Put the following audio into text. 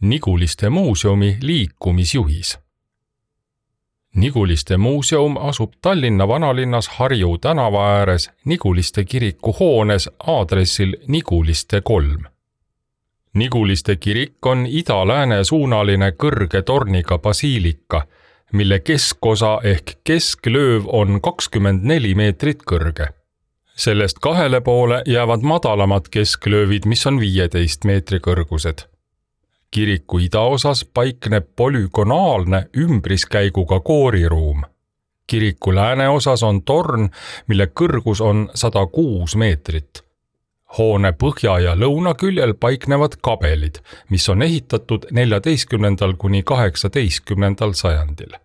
Niguliste muuseumi liikumisjuhis. Niguliste muuseum asub Tallinna vanalinnas Harju tänava ääres Niguliste kiriku hoones aadressil Niguliste 3. Niguliste kirik on ida-lääne suunaline kõrge torniga basiilika, mille keskosa ehk kesklööv on 24 meetrit kõrge. Sellest kahele poole jäävad madalamad kesklöövid, mis on 15 meetri kõrgused. Kiriku idaosas paikneb polügonaalne ümbriskäiguga kooriruum. Kiriku lääneosas on torn, mille kõrgus on 106 meetrit. Hoone põhja- ja lõunaküljel paiknevad kabelid, mis on ehitatud 14. kuni 18. sajandil.